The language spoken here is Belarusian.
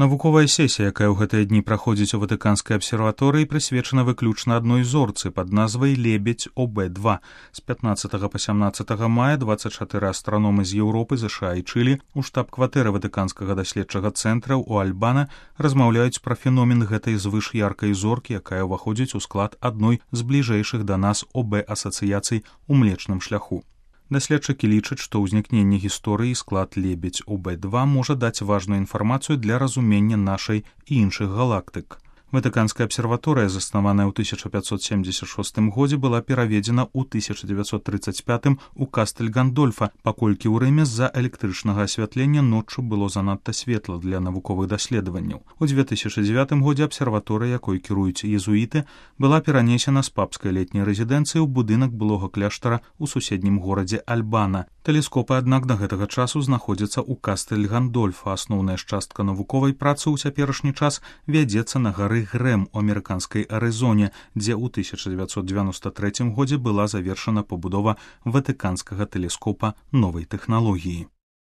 Навуковая сесія, якая ў гэтыя дні праходзіць у Ватыканскай абсерваторыі, прысвечана выключна адной зорцы пад назвай Лебедь ОБ-2. З 15 па 17 мая 24 астраномы з Еўропы, ЗША і Чылі у штаб-кватэры Ватыканскага даследчага цэнтра ў Альбана размаўляюць пра феномен гэтай звышяркай зоркі, якая ўваходзіць у склад адной з бліжэйшых да нас ОБ-асацыяцый у Млечным шляху. Даследчыкі лічаць, што ўзнікненне гісторыі склад Лебедь ОБ-2 можа даць важную інфармацыю для разумення нашай і іншых галактык. Ватыканская абсерваторыя, заснаваная ў 1576 годзе, была пераведзена ў 1935 у Кастэль Гандольфа, паколькі ў Рыме з-за электрычнага асвятлення ноччу было занадта светла для навуковых даследаванняў. У 2009 годзе абсерваторыя, якой кіруюць езуіты, была перанесена з папскай летняй рэзідэнцыі ў будынак былога кляштара ў суседнім горадзе Альбана. Тэлескопы, аднак, да гэтага часу знаходзяцца ў Кастэль Гандольфа. Асноўная частка навуковай працы ў цяперашні час вядзецца на гары Грэм у амерыканскай Арызоне, дзе ў 1993 годзе была завершана пабудова ватыканскага тэлескопа новай тэхналогіі.